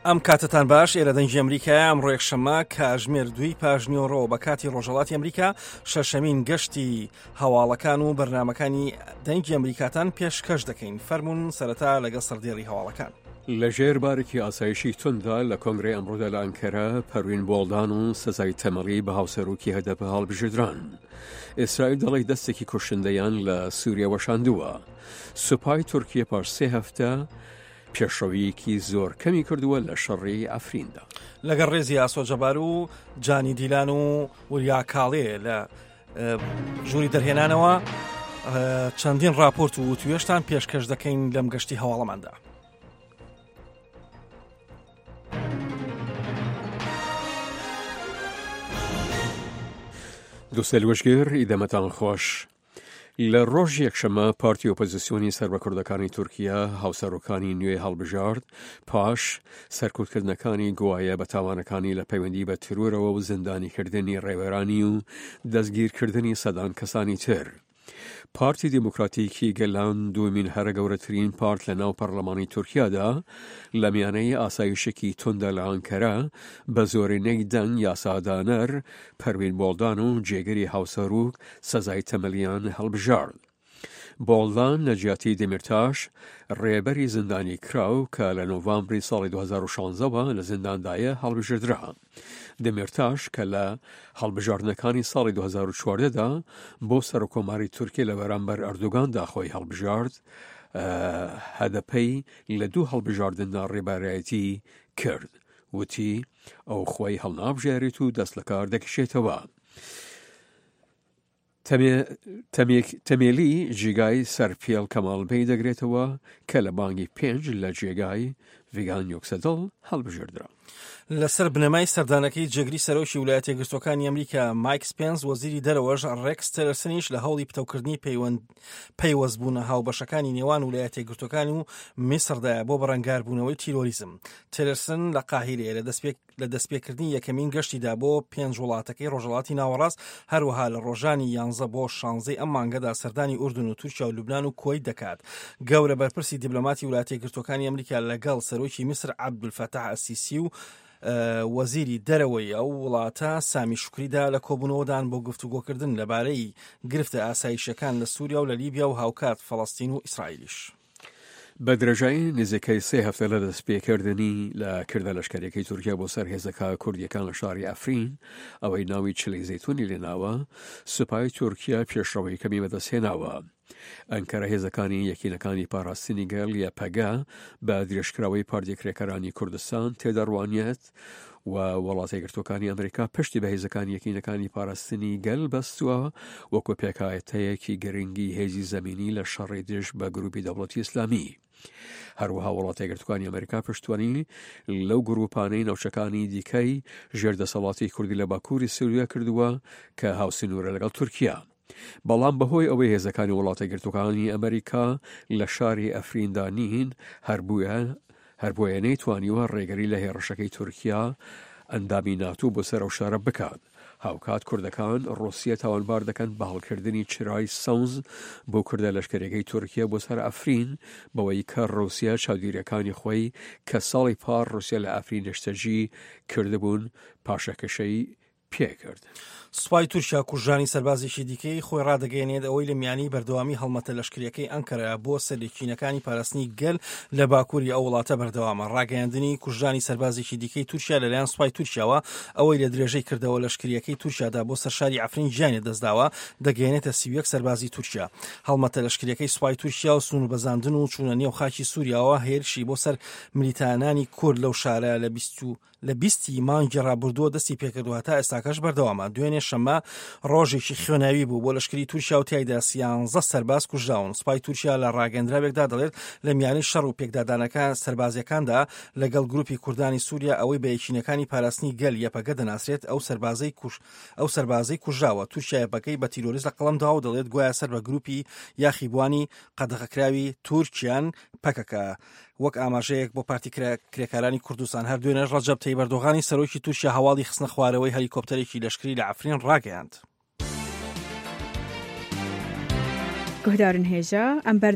ئەم کاتتان باش ئێرە دەنگی ئەمریکایە ئەمڕۆ یەکشەممە کاژمێر دووی پاژنیۆڕۆ بە کاتی ڕۆژهەڵاتی ئەمریکا شەشەمین گەشتی هەواڵەکان و بەرنمەکانی دەنگی ئەمریکاتان پێشکەش دەکەین فەرمونون سەرەتا لەگەڵ سەردێڕی هەواڵەکان. لەژێر بارێکی ئاسایشی تونددا لە کۆنگرەی ئەمڕۆدا لە ئەنکەرە پەروین بۆڵدان و سەزای تەمەڵی بە هاوسەرۆکی هەدەپە هەڵبژێردران. ئیسرائیل دەڵێت دەستێکی کوشندەیان لە سووریا وەشاندووە. سوپای تورکیە پاش سێ هەفتە پێشڕەوییەکی زۆر کەمی کردووە لە شەڕی عەفریندا. لەگەڵ ڕێزی ئاسۆ جەبار و جانی دیلان و وریا کاڵێ لە ژووری دەرهێنانەوە چەندین راپۆرت و وتوێشتان پێشکەش دەکەین لەم گەشتی هەواڵەماندا. دوسێلوەشگر ئیدەمەتان خۆش. لە ڕۆژی یەکشەممە پارتی ئۆپۆزیسیۆنی سەر بە کوردەکانی تورکیا هاوسەرۆکانی نوێ هەڵبژارد پاش سەرکوتکردنەکانی گوایە بە تاوانەکانی لە پەیوەندی بە ترۆرەوە و زیندانیکردنی ڕێبەرانی و دەستگیرکردنی سەدان کەسانی تر. پارتی دیموکراتیکی گەلان دووەمین هەرە گەورەترین پارت لە ناو پەرلەمانی تورکیادا لە میانەی ئاسایشێکی توندا لە ئانکەرە بە زۆرینەی دەنگ یاسادانەر پەروین بۆڵدان و جێگری هاوسەروک سەزای تەمەلیان هەڵبژارد. بۆڵدان لە جیاتی دەمیرتاش، ڕێبەری زیندانی کراو کە لە نۆڤامبری ساڵی 2016 وە لە زینداندایە هەڵبژێردرا. دەمیرتاش کە لە هەڵبژاردنەکانی ساڵی 2014 دا بۆ سەرۆککۆماری تورکیە لە بەرامبەر ئەردۆگاندا خۆی هەڵبژارد، هەدەپەی لە دوو هەڵبژاردندا ڕێبەرایەتی کرد. وتی ئەو خۆی هەڵنابژێرێت و دەست لەکار دەکشێتەوە. تەمێلی جیگای سەرپێڵ کەماڵ بەی دەگرێتەوە کە لە بانگی پێنج لە جێگای ڤیگان یوکسەدڵ هەڵبژێردرا. لەسەر بنەمای سەردانەکەی جێگری سەرۆکی ولایەتە یەکگرتووەکانی ئەمریکا مایک سپێنس وەزیری دەرەوەش ڕێکس تێلەرسنیش لە هەوڵی پتەوکردنی پەیوەند پەیوەستبوونە هاوبەشەکانی نێوان ولایەتە یەکگرتووەکان و میسڕدایە بۆ بەرەنگاربوونەوەی تیرۆریزم. تێلەرسن لە قاهیرەیە لە دەستپێک لە دەستپێکردنی یەکەمین گەشتیدا بۆ پێنج وڵاتەکەی ڕۆژهەڵاتی ناوەڕاست، هەروەها لە ڕۆژانی یانزە بۆ شانزەی ئەم مانگەدا سەردانی ئوردن و تورکیا و لوبنان و کوەیت دەکات. گەورە بەرپرسی دیبلۆماتی وڵاتە یەکگرتووەکانی ئەمریکا لەگەڵ سەرۆکی میسر عەبدولفەتاح ئەلسیسی و وەزیری دەرەوەی ئەو وڵاتە سامی شوکریدا لە کۆبوونەوەدان بۆ گفتوگۆکردن لەبارەی گرفتە ئاسایشیەکان لە سووریا و لە لیبیا و هاوکات فەڵەستین و ئیسرائیلیش. بە درێژایی نزیکەی سێ هەفتە لە دەستپێکردنی لە کردە لەشکەریەکەی تورکیا بۆ سەر هێزەکە کوردیەکان لە شاری ئەفرین ئەوەی ناوی چلی زەیتونی لێناوە سوپای تورکیا پێشڕەوەی کەمی بەدەستهێناوە. ئەنکەرە هێزەکانی یەکینەکانی پاراستنی گەل یەپەگە بە درێژکراوەی پارتی کرێکارانی کوردستان تێدەڕوانیت و وڵاتە یەکگرتووەکانی ئەمریکا پشتی بە هێزەکانی یەکینەکانی پاراستنی گەل بەستووە وەکو پێکهاتەیەکی گرنگی هێزی زەمینی لە شەڕی دژ بە گروپی دەوڵەتی ئیسلامی. هەروەها وڵاتە یەکگرتووەکانی ئەمریکا پشتوانی لەو گروپانەی ناوچەکانی دیکەی ژێر دەسەڵاتی کوردی لە باکووری سووریا کردووە کە هاوسنوورە لەگەڵ تورکیا. بەڵام بەهۆی ئەوەی هێزەکانی وڵاتە یەکگرتووەکانی ئەمریکا لە شاری ئەفریندا نین، هەر بووە هەر بۆیە نەیتوانیوە ڕێگری لە هێڕشەکەی تورکیا ئەندامی ناتۆ بۆ سەر ئەو شارە بکات. هاوکات کوردەکان ڕووسیە تاوانبار دەکەن بە هەڵکردنی چرای سەوز بۆ کوردە لەشکەریەکەی تورکیا بۆ سەر ئەفرین بەوەی کە ڕووسیا چاودیریەکانی خۆی کە ساڵی پار ڕووسیا لە ئەفرین نیشتەجی کردبوون پاشەکەشەی پێکرد. سوپای تورکیا کوژرانی سەربازێکی دیکەی خۆی ڕادەگەیەنێت، ئەوەی لە میانی بەردەوامی هەڵمەتە لەشکرییەکەی ئەنکەرە بۆ سەر یەکینەکانی پاراستنی گەل لە باکووری ئەو وڵاتە بەردەوامە. ڕاگەیاندنی کوژرانی سەربازێکی دیکەی تورکیا لەلایەن سوپای تورکیاوە، ئەوەی لە درێژەی کردەوە لەشکرییەکەی تورکیادا بۆ سەر شاری عەفرین گیانی لەدەستداوە، دەگەیەنێتە 31 سەربازی تورکیا. هەڵمەتە لەشکرییەکەی سوپای تورکیا و سنووربەزاندن و چوونە نێو خاکی سووریاوە هێرشی بۆ سەر ملیتانانی کورد لەو شارە لە 20 لە 20 ی مانگی ڕابردووە دەستی پێکرد و هەتا ئێستاکەش بەردەوامە. دوێنێ شەممە ڕۆژێکی خوێناوی بوو بۆ لەشکری تورکیا و تیایدا سیانزە سەرباز کوژراون. سوپای تورکیا لە ڕاگەندراوێکدا دەڵێت لە میانەی شەڕ و پێکدادانەکە سەربازیەکاندا لەگەڵ گروپی کوردانی سوریا ئەوەی بە یەکینەکانی پاراستنی گەل یەپەگە دەناسرێت ئەو سەربازەی کوش ئەو سەربازەی کوژراوە تورکیا یەپەگەی بە تیرۆریست لە قەڵەم داوە و دەڵێت گوایە سەر بە گروپی یاخیبوانی قەدەغەکراوی تورکیان پەکەکە. وەک ئاماژەیەک بۆ پارتی کرێکارانی کوردستان هەر دوێنێش ڕەجەب تەیب ئەردۆغانی سەرۆکی تورکیا هەواڵی خستنە خوارەوەی هەلیکۆپتەرێکی لەشکری لە عەفرین ڕاگەیاند. گوهدارن هێژا ئەم بەر.